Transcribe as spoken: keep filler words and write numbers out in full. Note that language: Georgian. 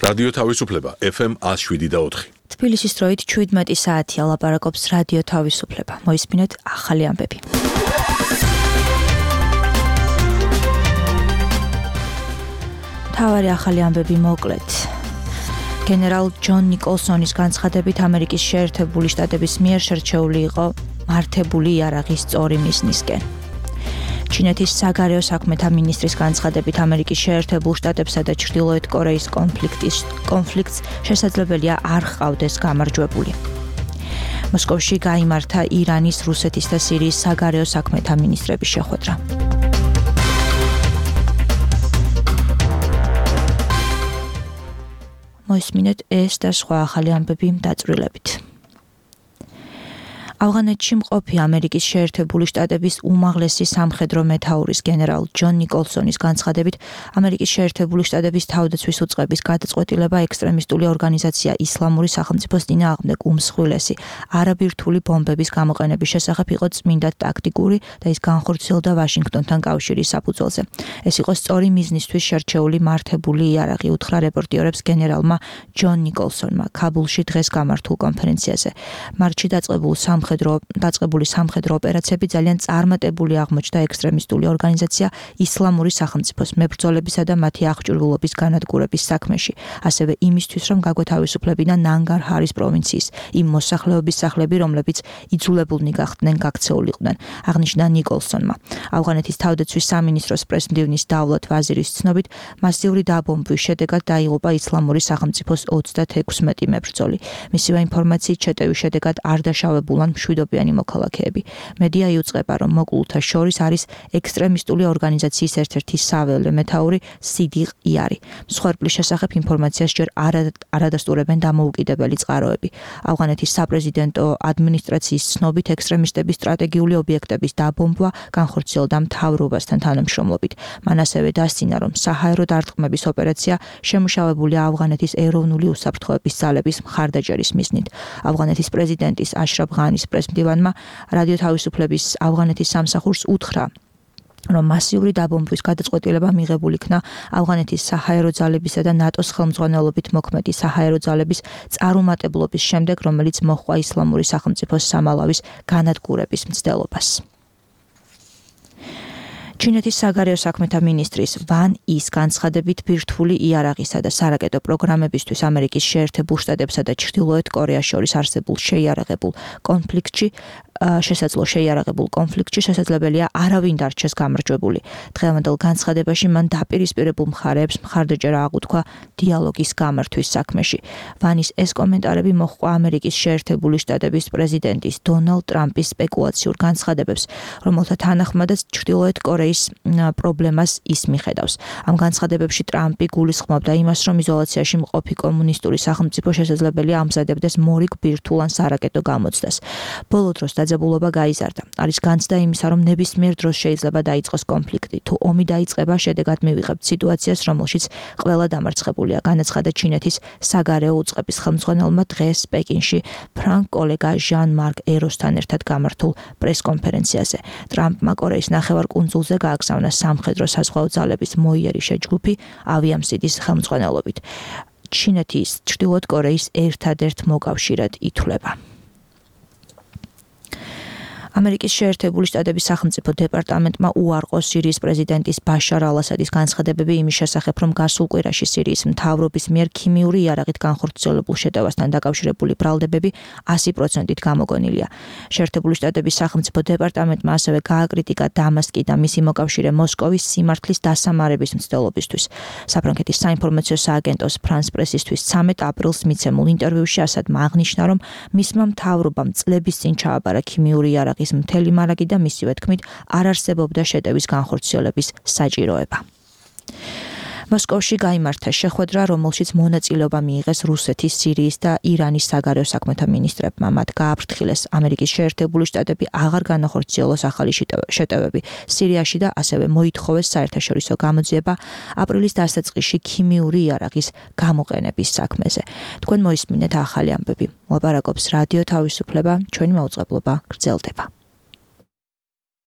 რადიო თავისუფლება ეფ ემ one oh seven და four. თბილისის დროით შვიდმეტი საათია ლაპარაკობს რადიო თავისუფლება. მოისმინეთ ახალი ამბები. თავარი ახალი ამბები მოკლედ. გენერალ ჯონ ნიკოლსონის განცხადებით ამერიკის შეერთებული შტატების მიერ შერჩეული იყო მართებული იარაღის სწორი მიზნისკენ. ჩინეთის საგარეო საქმეთა მინისტრის განცხადებით ამერიკის შეერთებულ შტატებსა და ჩრდილოეთ კორეის კონფლიქტის კონფლიქტს შესაძლებელია არ ჰყავდეს გამარჯვებული. მოსკოვში გაიმართა ირანის, რუსეთის და სირიის საგარეო საქმეთა მინისტრების შეხვედრა. მოისმინეთ ეს და სხვა ახალი ამბები დაწვრილებით. ავღანეთში მყოფი ამერიკის შეერთებული შტატების უმაღლესი სამხედრო მეთაურის გენერალ ჯონ ნიკოლსონის განცხადებით ამერიკის შეერთებული შტატების თავდაცვის უწყების გადაწყვეტილება ექსტრემისტული ორგანიზაცია ისლამური სახელმწიფოს წინააღმდეგ უმსხვილესი არაბირთული ბომბების გამოყენების შესახებ იყო წმინდა ტაქტიკური და ის განხორციელდა ვაშინგტონთან კავშირის საფუძველზე. ეს იყო სწორი მიზნისთვის შერჩეული მართებული იარაღი, უთხრა რეპორტიორებს გენერალმა ჯონ ნიკოლსონმა ქაბულში დღეს გამართულ კონფერენციაზე. მარტში დაწყებულ დაწყებული სამხედრო ოპერაციები ძალიან წარმატებული აღმოჩნდა ექსტრემისტული ორგანიზაცია ისლამური სახელმწიფოს მებრძოლებისა და მათი აღჭურვილობის განადგურების საქმეში, ასევე იმისთვის, რომ გაგვეთავისუფლებინა ნანგარჰარის პროვინციის იმ მოსახლეობის სახლები, რომლებიც იძულებულნი გახდნენ გაქცეულიყვნენ, აღნიშნა ნიკოლსონმა. ავღანეთის თავდაცვის სამინისტროს პრეს-მდივნის დავლათ ვაზირის ცნობით, მასიური დაბომბვის შედეგად დაიღუპა ისლამური სახელმწიფოს ოცდაექვსი მებრძოლი. მისივე ინფორმაციით შეტევის შედეგად არ დაშავებულან მშვიდობიანი მოქალაქეები. მედია იუწყება, რომ მოკლულთა შორის არის ექსტრემისტული ორგანიზაციის ერთ-ერთი საველე მეთაური სიდიყ იარი. მსხვერპლის შესახებ ინფორმაციას ჯერ არადასტურებენ დამოუკიდებელი წყაროები. ავღანეთის საპრეზიდენტო ადმინისტრაციის ცნობით ექსტრემისტების სტრატეგიული ობიექტების დაბომბვა განხორციელდა მთავრობასთან თანამშრომლობით. მან ასევე დასცინა, რომ საჰაერო დარტყმების ოპერაცია შემუშავებულია ავღანეთის ეროვნული უსაფრთხოების ძალების მხარდაჭერის მიზნით. ავღანეთის პრეზიდენტის აშრაფ ღანის პრეს-მდივანმა რადიო თავისუფლების ავღანეთის სამსახურს უთხრა, რომ მასიური დაბომბვის გადაწყვეტილება მიღებული იქნა ავღანეთის საჰაერო ძალებისა და ნატოს ხელმძღვანელობით მოქმედი საჰაერო ძალების წარუმატებლობის შემდეგ, რომელიც მოჰყვა ისლამური სახელმწიფოს სამალავის განადგურების მცდელობას. ჩინეთის საგარეო საქმეთა მინისტრის ვან ის განცხადებით ბირთვული იარაღისა და სარაკეტო პროგრამებისთვის ამერიკის შეერთებულ შტატებსა და ჩრდილოეთ კორეას შორის არსებულ შეიარაღებულ კონფლიქტში შესაძლო შეიარაღებულ კონფლიქტში შესაძლებელია არავინ დარჩეს გამარჯვებული. დღევანდელ განცხადებაში მან დაპირისპირებულ მხარეებს მხარდაჭერა აღუთქვა დიალოგის გამართვის საქმეში. ვანის ეს კომენტარები მოჰყვა ამერიკის შეერთებული შტატების პრეზიდენტის დონალდ ტრამპის სპეკულაციურ განცხადებებს, რომელთა თანახმადაც ჩრდილოეთ კორეის პრობლემას ის მიხედავს. ამ განცხადებებში ტრამპი გულისხმობდა იმას, რომ იზოლაციაში მყოფი კომუნისტური სახელმწიფო შესაძლებელია ამზადებდეს მორიგ ბირთვულ ან სარაკეტო გამოცდას. ბოლო დროს დაძაბულობა გაიზარდა. არის განცდა იმისა, რომ ნებისმიერ დროს შეიძლება დაიწყოს კონფლიქტი. თუ ომი დაიწყება, შედეგად მივიღებთ სიტუაციას, რომელშიც ყველა დამარცხებულია, განაცხადა ჩინეთის საგარეო უწყების ხელმძღვანელმა დღეს პეკინში ფრანგ კოლეგა ჟან-მარკ ეროსთან ერთად გამართულ პრეს-კონფერენციაზე. ტრამპმა კორეის ნახევარკუნძულზე გააგზავნა სამხედრო საზღვაო ძალების მოიერიშე ჯგუფი ავიამსიდის ხელმძღვანელობით. ჩინეთის ჩრდილოეთ კორეის ერთადერთ მოკავშირედ ითვლება. ამერიკის შეერთებული შტატების სახელმწიფო დეპარტამენტმა უარყო სირიის პრეზიდენტის ბაშარ ალ-ასადის განცხადებები იმის შესახებ, რომ გასულ კვირაში სირიის მთავრობის მიერ ქიმიური იარაღით განხორციელებულ შეტევასთან დაკავშირებული ბრალდებები ასი პროცენტით გამოგონილია. შეერთებული შტატების სახელმწიფო დეპარტამენტმა ასევე გააკრიტიკა დამასკი და მისი მოკავშირე მოსკოვის სიმართლის დასამარების მცდელობისთვის. საფრანგეთის საინფორმაციო სააგენტოს ფრანს პრესისთვის ცამეტ აპრილს მიცემულ ინტერვიუში ასადმა აღნიშნა, რომ მისმა მთავრობამ წლების წინ ჩააბარა ქიმიური იარაღის მთელი მარაგი და მისივე თქმით არ არსებობდა შეტევის განხორციელების საჭიროება. მოსკოვში გაიმართა შეხვედრა, რომელშიც მონაწილეობა მიიღეს რუსეთის, სირიის და ირანის საგარეო საქმეთა მინისტრებმა. მათ გააფრთხილეს ამერიკის შეერთებული შტატები აღარ განახორციელოს ახალი შეტევები სირიაში და ასევე მოითხოვეს საერთაშორისო გამოძიება აპრილის დასაწყისში ქიმიური იარაღის გამოყენების საქმეზე. თქვენ მოისმინეთ ახალი ამბები. ლაპარაკობს რადიო თავისუფლება, ჩვენი მაუწყებლობა გრძელდება.